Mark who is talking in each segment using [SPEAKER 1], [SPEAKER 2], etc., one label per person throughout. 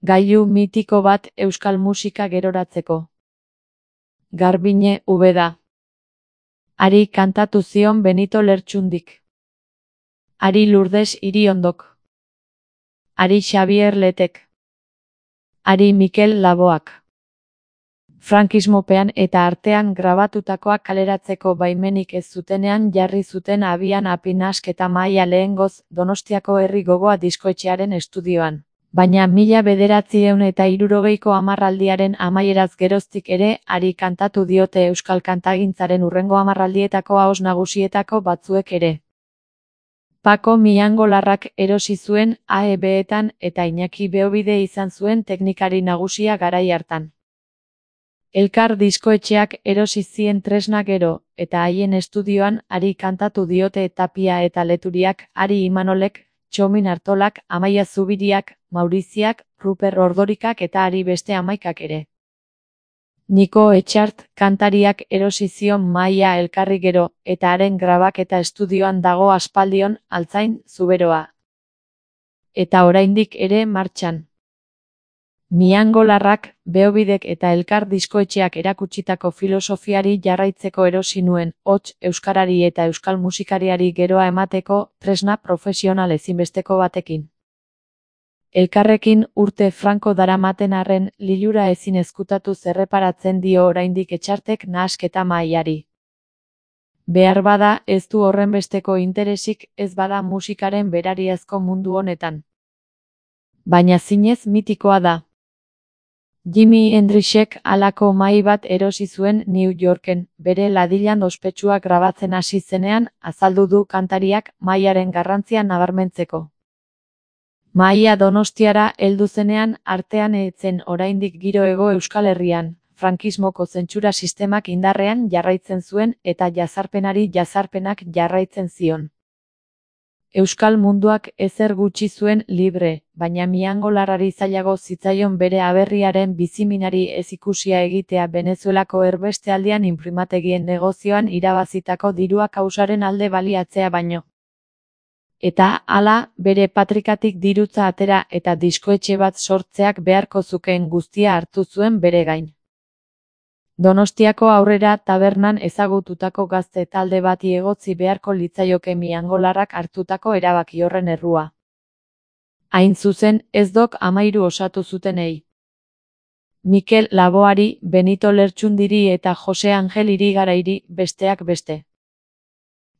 [SPEAKER 1] Gailu mitiko bat euskal musika geroratzeko. Garbiñe Ubeda. Hari kantatu zion Benito Lertxundik. Hari Lourdes Iriondok. Hari Xabier Letek. Hari Mikel Laboak. Frankismopean eta artean grabatutakoak kaleratzeko baimenik ez zutenean jarri zuten abian apinasketa mahaia lehengoz Donostiako Herri Gogoa diskoetxearen estudioan. Baina 1960ko hamarraldiaren amaieraz geroztik ere hari kantatu diote euskal kantagintzaren hurrengo hamarraldietako ahoz nagusietako batzuek ere. Pako Miangolarrak erosi zuen AEB-etan eta Iñaki Beobide izan zuen teknikari nagusia garai hartan. Elkar diskoetxeak erosi zien tresna gero, eta haien estudioan hari kantatu diote Tapia eta Leturiak, Hari Imanolek, Txomin Artolak, Amaia Zubiriak, Mauriziak, Ruper Ordorikak eta hari beste 11 ere. Niko Etxart kantariak erosi zion mahaia elkarri gero, eta haren grabaketa estudioan dago aspaldion, Altzain, Zuberoa. Eta oraindik ere martxan. Miangolarrak, Beobidek eta elkar diskoetxeak erakutsitako filosofiari jarraitzeko erosi nuen, hots, euskarari eta euskal musikariari geroa emateko, tresna profesional ezinbesteko batekin. Elkarrekin urte franko daramaten arren, lilura ezin ezkutatu zerreparatzen dio oraindik Etxartek nahasketa mahaiari. Behar bada ez du horrenbesteko interesik ez bada musikaren berariazko mundu honetan. Baina zinez mitikoa da. Jimi Hendrixek halako mahai bat erosi zuen New Yorken, bere ladilan ospetsua grabatzen hasi zenean, azaldu du kantariak mahaiaren garrantzia nabarmentzeko. Mahaia Donostiara heldu zenean artean etzen oraindik giro Hego Euskal Herrian, frankismoko zentsura sistemak indarrean jarraitzen zuen eta jazarpenari jazarpenak jarraitzen zion. Euskal munduak ezer gutxi zuen libre, baina Miangolarrari zailago zitzaion bere aberriaren biziminari ez ikusia egitea Venezuelako erbestealdian inprimategien negozioan irabazitako dirua kausaren alde baliatzea baino. Eta, hala, bere patrikatik dirutza atera eta diskoetxe bat sortzeak beharko zukeen guztia hartu zuen bere gain. Donostiako Aurrera tabernan ezagututako gazte talde bati egotzi beharko litzaioke Miangolarrak hartutako erabaki horren errua. Hain zuzen, ez dok 13 osatu zutenei. Mikel Laboari, Benito Lertxundiri eta Jose Angel Irigarairi, besteak beste.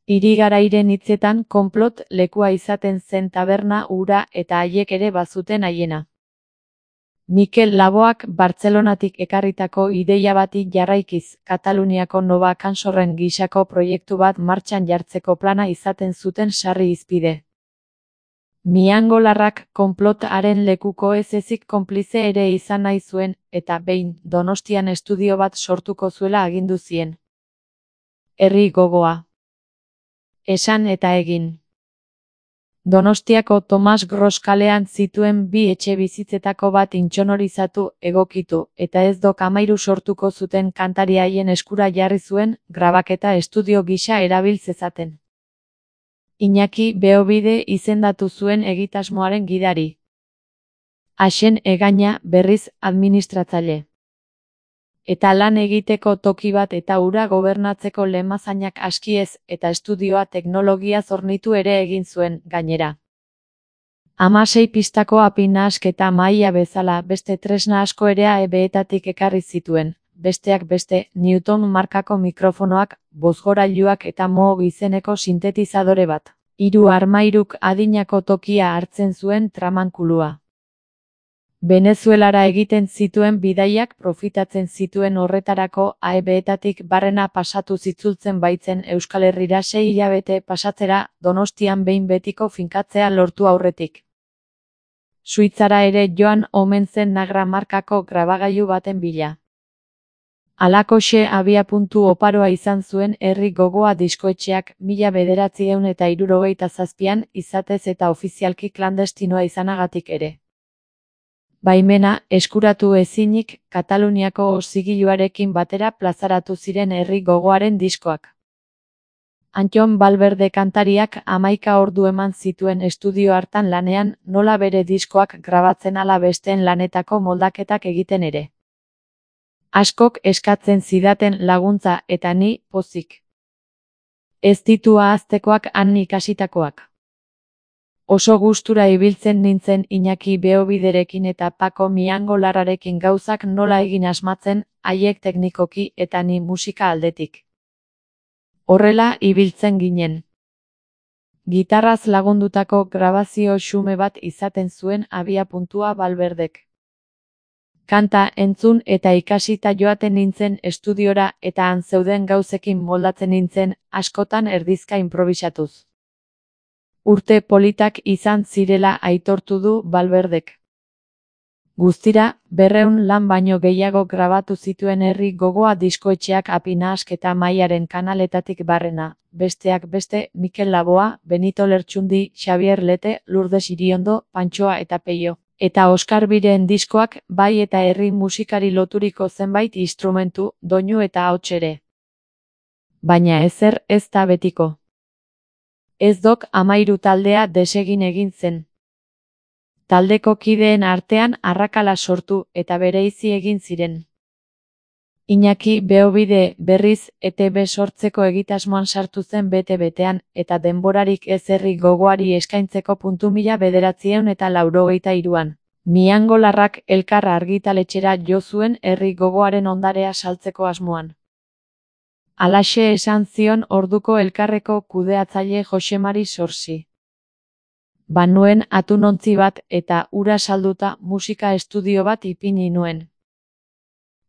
[SPEAKER 1] Irigarairen hitzetan konplot lekua izaten zen taberna hura eta haiek ere bazuten haiena. Mikel Laboak Bartzelonatik ekarritako ideia bati jarraikiz, Kataluniako Nova Cansorren gisako proiektu bat martxan jartzeko plana izaten zuten sarri hizpide. Miangolarrak konplotaren lekuko ez ezik konplize ere izan nahi zuen, eta behin, Donostian estudio bat sortuko zuela agindu zien. Herri Gogoa. Esan eta egin. Donostiako Tomas Gros kalean zituen 2 etxe bizitzetako bat intsonorizatu, egokitu, eta ez dok 13 sortuko zuten kantari haien eskura jarri zuen, grabaketa estudio gisa erabil zezaten. Iñaki Beobide izendatu zuen egitasmoaren gidari. Axen Egaña, berriz, administratzaile. Eta lan egiteko toki bat eta hura gobernatzeko lemazainak aski ez, eta estudioa teknologiaz hornitu ere egin zuen, gainera. 16 pistako apinasketa mahaia bezala beste tresna asko ere AEB-etatik ekarri zituen, besteak beste, Newton markako mikrofonoak, bozgorailuak eta Moog izeneko sintetizadore bat. 3 armairuk adinako tokia hartzen zuen tramankulua. Venezuelara egiten zituen bidaiak profitatzen zituen horretarako AEB-etatik barrena pasatu zitzultzen baitzen Euskal Herrira 6 hilabete pasatzera, Donostian behin betiko finkatzea lortu aurretik. Suitzara ere joan omen zen Nagra markako grabagailu baten bila. Halakoxe abiapuntu oparoa izan zuen Herri Gogoa diskoetxeak 1967an izatez eta ofizialki klandestinoa izanagatik ere. Baimena, eskuratu ezinik, Kataluniako zigiluarekin batera plazaratu ziren Herri Gogoaren diskoak. Antton Valverde kantariak 11 ordu eman zituen estudio hartan lanean, nola bere diskoak grabatzen ala besteen lanetako moldaketak egiten ere. Askok eskatzen zidaten laguntza eta ni pozik. Ez ditu ahaztekoak han ikasitakoak. Oso gustura ibiltzen nintzen Iñaki Beobiderekin eta Pako Miangolarrarekin gauzak nola egin asmatzen, haiek teknikoki eta ni musika aldetik. Horrela ibiltzen ginen. Gitarraz lagundutako grabazio xume bat izaten zuen abiapuntua Valverdek. Kanta entzun eta ikasita joaten nintzen estudiora eta han zeuden gauzekin moldatzen nintzen, askotan erdizka improbisatuz. Urte politak izan zirela aitortu du Valverdek. Guztira, 200 lan baino gehiago grabatu zituen Herri Gogoa diskoetxeak Apinahasketa Mailaren kanaletatik barrena, besteak beste Mikel Laboa, Benito Lertxundi, Xabier Lete, Lourdes Iriondo, Pantxoa eta Peio. Eta Oskar Biren diskoak, bai eta herri musikari loturiko zenbait instrumentu, doinu eta ahots ere. Baina ezer ez da betiko. Ez dok 13 taldea desegin egin zen. Taldeko kideen artean arrakala sortu eta bereizi egin ziren. Iñaki Beobide berriz ETB sortzeko egitasmoan sartu zen bete-betean eta denborarik ez Herri Gogoari eskaintzeko 1983an. Miangolarrak Elkar argitaletxera jo zuen Herri Gogoaren ondarea saltzeko asmoan. Halaxe esan zion orduko Elkarreko kudeatzaile Josemari Sorsi. Banuen atunontzi bat eta ura salduta musika estudio bat ipini nuen.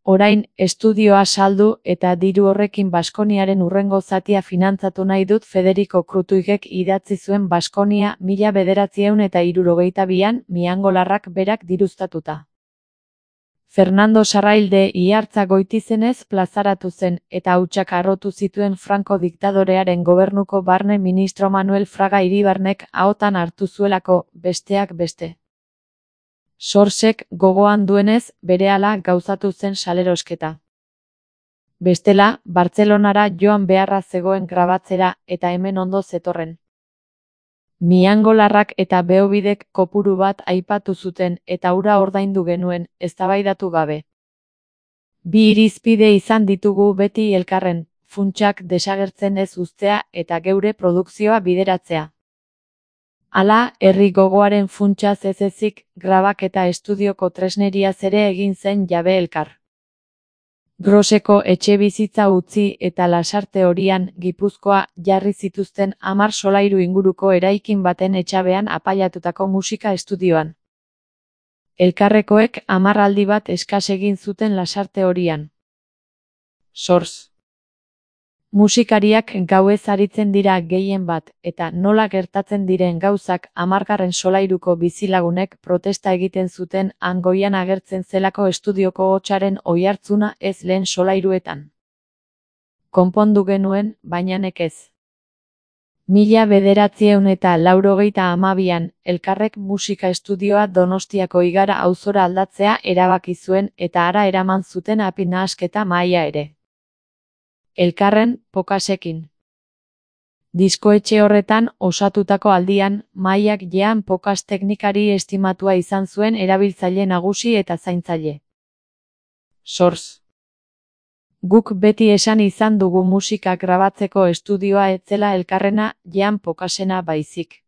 [SPEAKER 1] Orain, estudioa saldu eta diru horrekin Baskoniaren hurrengo zatia finantzatu nahi dut Federico Krutuigek idatzi zuen Baskonia 1972an Miangolarrak berak diruztatuta. Fernando Sarrailde Ihartza Goitizenez plazaratu zen eta hautsak harrotu zituen Franco diktadorearen gobernuko barne ministro Manuel Fraga Iribarnek ahotan hartu zuelako, besteak beste. Sorsek gogoan duenez, berehala gauzatu zen salerosketa. Bestela, Bartzelonara joan beharra zegoen grabatzera eta hemen ondo zetorren. Miangolarrak eta Beobidek kopuru bat aipatu zuten eta hura ordaindu genuen, eztabaidatu gabe. Bi irizpide izan ditugu beti elkarren, funtsak desagertzen ez uztea eta geure produkzioa bideratzea. Hala, Herri Gogoaren funtsaz ez ezik, grabak eta estudioko tresneriaz ere egin zen jabe elkar. Groseko etxebizitza utzi eta Lasarte Horian, Gipuzkoa, jarri zituzten 10 solairu inguruko eraikin baten etxabean apailatutako musika estudioan. Elkarrekoek 10 aldi bat eskas egin zuten Lasarte Horian. Sors. Musikariak gauez aritzen dira gehien bat, eta nola gertatzen diren gauzak 10. solairuko bizilagunek protesta egiten zuten han goian agertzen zelako estudioko hotsaren oihartzuna ez lehen solairuetan. Konpondu genuen, baina nekez. 1982an, Elkarrek musika estudioa Donostiako Igara auzora aldatzea erabaki zuen eta hara eraman zuten Apinahasketa Maila ere. Elkarren, pokasekin. Diskoetxe horretan osatutako aldian, Mailak jean pokas teknikari estimatua izan zuen erabiltzaile nagusi eta zaintzaile. Sors. Guk beti esan izan dugu musika grabatzeko estudioa etzela elkarrena, jean pokasena baizik.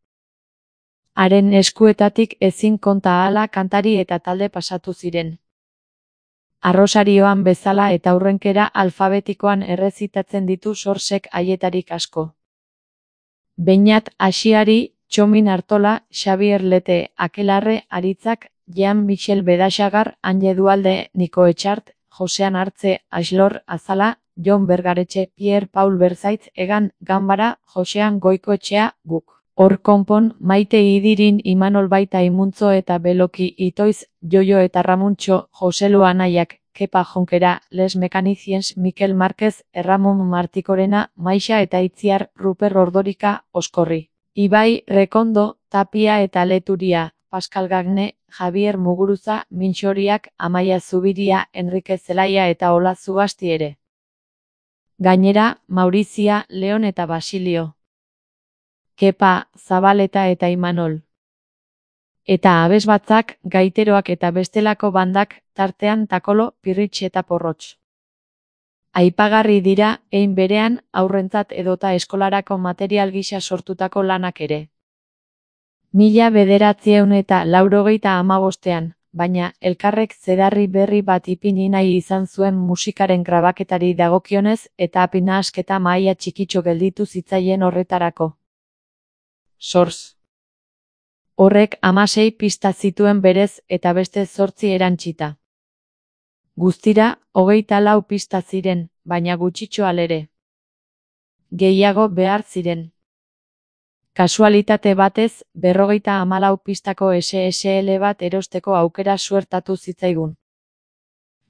[SPEAKER 1] Haren eskuetatik ezin konta ahala kantari eta talde pasatu ziren. Arrosarioan bezala eta aurrenkera alfabetikoan errezitatzen ditu Sorsek haietarik asko. Beñat Asiari, Txomin Artola, Xabier Lete, Akelarre, Aritzak, Jean-Michel Bedaxagar, Anje Dualde, Niko Etxart, Josean Artze, Axlor, Azala, Jon Bergaretxe, Pierre Paul Berzaitz, Egan, Ganbara, Josean Goikoetxea, guk. Hor konpon, Maite Idirin, Imanol Baita Imuntzo eta Beloki Itoiz, Jojo eta Ramuntxo, Joselu Anaiak, Kepa Jonkera, Les Mechaniciens, Mikel Márquez, Erramon Martikorena, Maixa eta Itziar, Ruper Ordorika, Oskorri. Ibai, Rekondo, Tapia eta Leturia, Pascal Gagne, Javier Muguruza, Mintxoriak, Amaia Zubiria, Enrique Zelaia eta Ola Zugasti ere. Gainera, Maurizia, Leon eta Basilio. Kepa, Zabaleta eta Imanol. Eta abesbatzak, gaiteroak eta bestelako bandak, tartean Takolo, Pirritx eta Porrotx. Aipagarri dira, hein berean, haurrentzat edota eskolarako material gisa sortutako lanak ere. 1985ean, baina elkarrek zedarri berri bat ipini nahi izan zuen musikaren grabaketari dagokionez eta apinahasketa mahaia txikitxo gelditu zitzaien horretarako. Source. Horrek 16 pista zituen berez eta beste 8 erantsita. Guztira, 24 pista ziren, baina gutxitxo alere. Gehiago behar ziren. Kasualitate batez, 54 pistako SSL bat erosteko aukera suertatu zitzaigun.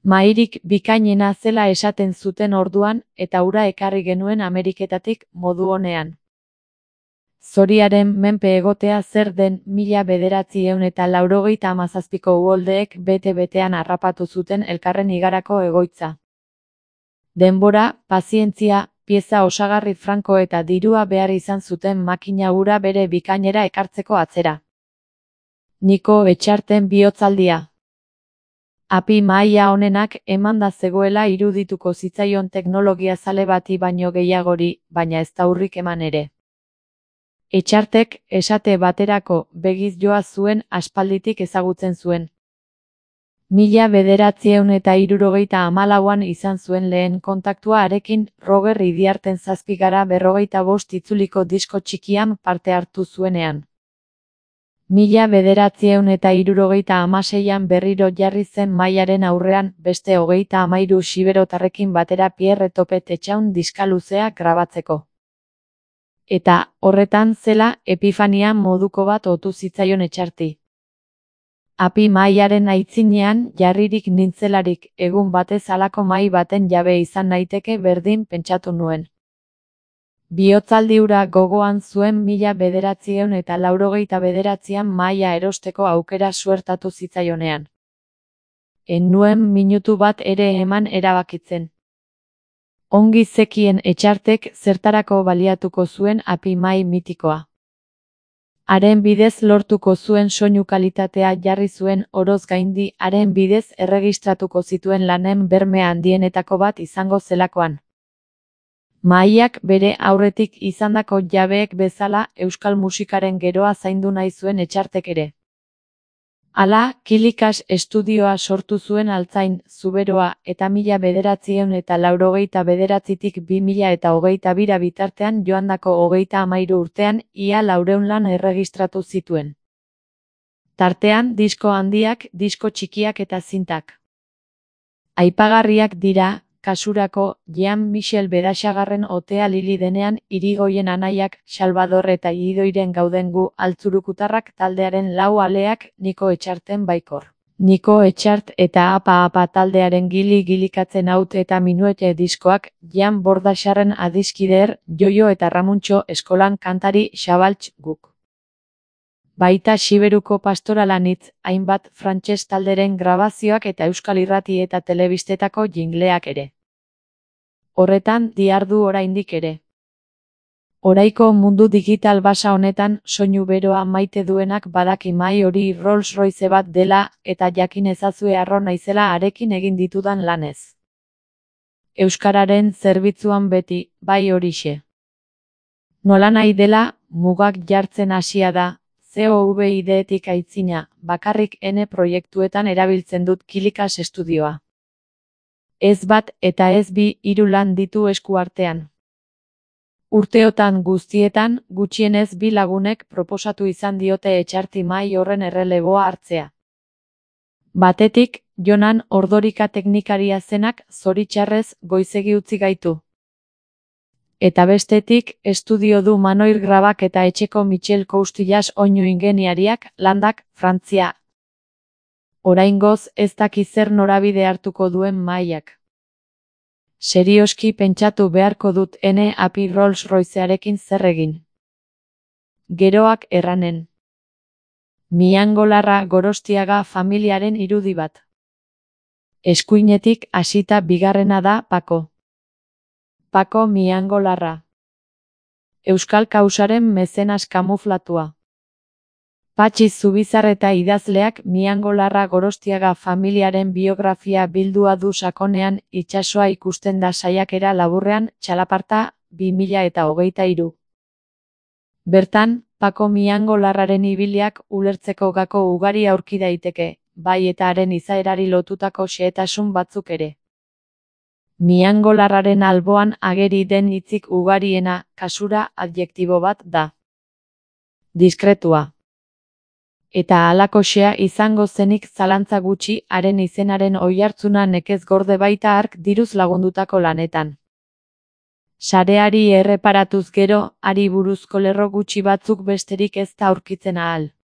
[SPEAKER 1] Mahairik bikainena zela esaten zuten orduan eta hura ekarri genuen Ameriketatik modu onean. Zoriaren menpe egotea zer den 1987ko uholdeek bete-betean harrapatu zuten elkarren igarako egoitza. Denbora, pazientzia, pieza osagarri franko eta dirua behar izan zuten makina hura bere bikainera ekartzeko atzera. Niko Etxarten bihotzaldia. Api mahaia honenak emanda zegoela irudituko zitzaion teknologia zale bati baino gehiagori, baina ez da urrik eman ere. Etxartek, esate baterako, begiz joa zuen aspalditik ezagutzen zuen. 1974an izan zuen lehen kontaktua harekin, Roger Idiarten 7/45 itzuliko disko txikian parte hartu zuenean. 1976an berriro jarri zen mahaiaren aurrean beste 33 xiberotarrekin batera Pierre Topet Etxaun diska luzea grabatzeko. Eta, horretan zela, epifania moduko bat otu zitzaion Etxarti. Api mahaiaren aitzinean jarririk nintzelarik egun batez halako mahai baten jabe izan naiteke berdin pentsatu nuen. Bihotzaldi hura gogoan zuen 1989an mahaia erosteko aukera suertatu zitzaionean. En nuen minutu bat ere eman erabakitzen. Ongi zekien Etxartek zertarako baliatuko zuen api mahai mitikoa. Haren bidez lortuko zuen soinu kalitatea jarri zuen oroz gaindi haren bidez erregistratuko zituen lanen berme handienetako bat izango zelakoan. Mahaiak bere aurretik izandako jabeek bezala euskal musikaren geroa zaindu nahi zuen Etxartek ere. Hala, Kilikas estudioa sortu zuen Altzain, Zuberoa eta 1989tik 2022 bitartean joandako 33 urtean ia 400 lan erregistratu zituen. Tartean disko handiak, disko txikiak eta zintak. Aipagarriak dira, kasurako, Jean-Michel Bedaxagarren otea Lili denean, Irigoien anaiak, Salvador eta Idoiren gauden gu altzurukutarrak taldearen 4 aleak, Niko Etxarten baikor. Niko Etxart eta Apa taldearen gili-gilikatzen haut eta minuete diskoak, Jan Bordaxarren adiskider, Joio eta Ramuntxo eskolan kantari Xabaltx guk. Baita Xiberuko pastoralanitz, hainbat frantses talderen grabazioak eta euskal irrati eta telebistetako jingleak ere. Horretan dihardu oraindik ere. Oraiko mundu digital basa honetan soinu beroa maite duenak badaki mahai hori Rolls Royce bat dela eta jakin ezazue harro naizela harekin egin ditudan lanez. Euskararen zerbitzuan beti, bai horixe. Nolanahi dela, mugak jartzen hasia da, COVID-etik aitzina, bakarrik N proiektuetan erabiltzen dut Kilikas estudioa. Ez bat eta ez bi 3 lan ditu esku artean. Urteotan guztietan, gutxienez 2 lagunek proposatu izan diote Etxarti mahai horren erreleboa hartzea. Batetik, Jonan Ordorika teknikaria zenak zoritxarrez goizegi utzi gaitu. Eta bestetik, estudio du Manoir Grabak eta etxeko Michel Coustillas oinu ingeniariak, Landak, Frantzia. Oraingoz ez daki zer norabide hartuko duen mahaiak. Serioski pentsatu beharko dut ene api Rolls Roycearekin zer egin. Geroak erranen. Miangolarra Gorostiaga familiaren irudi bat. Eskuinetik hasita bigarrena da Pako. Pako Miangolarra. Euskal kausaren mezenas kamuflatua. Patxi Zubizarreta idazleak Miangolarra Gorostiaga familiaren biografia bildua du sakonean itsasoa ikusten da saiakera laburrean Txalaparta 2023. Bertan, Pako Miangolarraren ibiliak ulertzeko gako ugari aurki daiteke, bai eta haren izaerari lotutako xehetasun batzuk ere. Miangolarraren alboan ageri den hitzik ugariena, kasura, adjektibo bat da. Diskretua. Eta halakoxea izango zenik zalantza gutxi haren izenaren oihartzuna nekez gorde baita hark diruz lagundutako lanetan. Sareari erreparatuz gero, hari buruzko lerro gutxi batzuk besterik ez da aurkitzen ahal.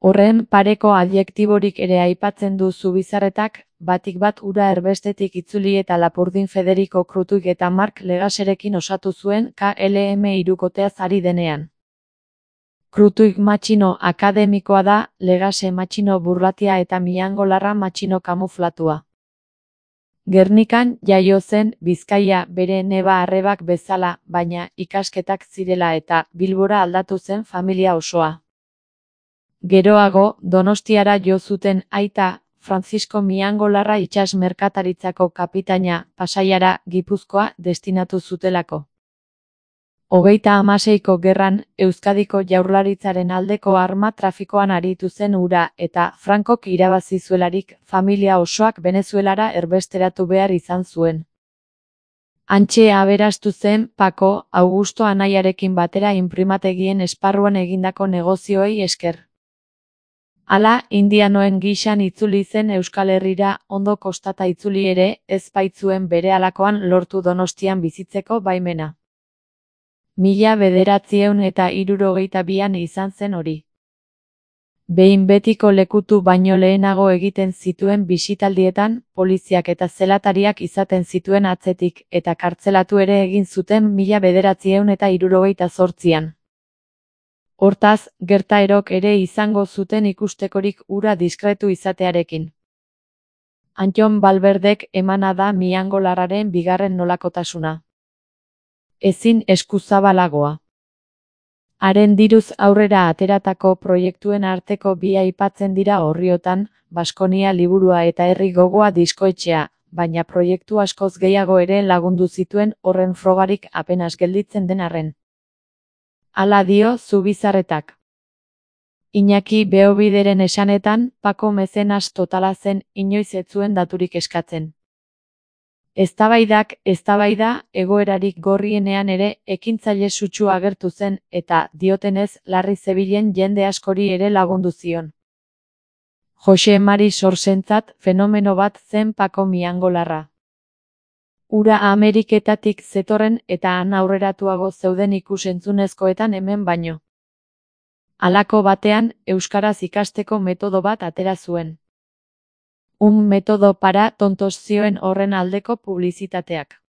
[SPEAKER 1] Horren pareko adjektiborik ere aipatzen du Zubizarretak, batik bat ura erbestetik itzuli eta Lapurdin Federico Krutuik eta Mark Legaserekin osatu zuen KLM hirukoteaz ari denean. Krutuik matxino akademikoa da, Legase matxino burlatia eta Miangolarra matxino kamuflatua. Gernikan jaio zen Bizkaia bere neba-arrebak bezala, baina ikasketak zirela eta Bilbora aldatu zen familia osoa. Geroago, Donostiara jo zuten aita, Francisco Miangolarra itsas merkataritzako kapitaina, Pasaiara, Gipuzkoa, destinatu zutelako. 36ko gerran, Euskadiko jaurlaritzaren aldeko arma trafikoan aritu zen hura eta Frankok irabazi zuelarik familia osoak Venezuelara erbesteratu behar izan zuen. Hantxe aberastu zen Pako, Augusto anaiarekin batera inprimategien esparruan egindako negozioei esker. Hala, indianoen gixan itzuli zen Euskal Herrira, ondo kostata itzuli ere, ez baitzuen berehalakoan lortu Donostian bizitzeko baimena. 1972an izan zen hori. Behin betiko lekutu baino lehenago egiten zituen bisitaldietan, poliziak eta zelatariak izaten zituen atzetik, eta kartzelatu ere egin zuten 1978an. Hortaz, gertaerok ere izango zuten ikustekorik hura diskretu izatearekin. Antton Balberdek emana da Miangolarraren bigarren nolakotasuna. Ezin eskuzabalagoa. Haren diruz aurrera ateratako proiektuen arteko bi aipatzen dira orriotan, Baskonia liburua eta Herri Gogoa diskoetxea, baina proiektu askoz gehiago ere lagundu zituen horren frogarik apenas gelditzen den arren. Hala dio Zubizarretak. Iñaki Beobideren esanetan, Pako mezenas totala zen inoiz ez zuen daturik eskatzen. Eztabaida, egoerarik gorrienean ere ekintzaile sutsu agertu zen eta, diotenez, larri zebilen jende askori ere lagundu zion. Jose Mari Sorsentzat fenomeno bat zen Pako Miangolarra. Ura Ameriketatik zetorren eta han aurreratuago zeuden ikus-entzunezkoetan hemen baino. Halako batean, euskaraz ikasteko metodo bat atera zuen. Un metodo para tontos zioen horren aldeko publizitateak.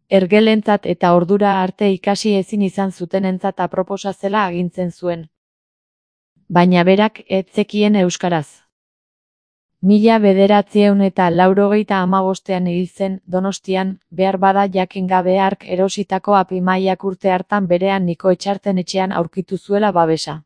[SPEAKER 1] Ergelentzat eta ordura arte ikasi ezin izan zutenentzat aproposa zela agintzen zuen. Baina berak ez zekien euskaraz. 1985an hil zen Donostian, behar bada jakin gabe hark erositako apimaiak urte hartan berean Niko Etxarten etxean aurkitu zuela babesa.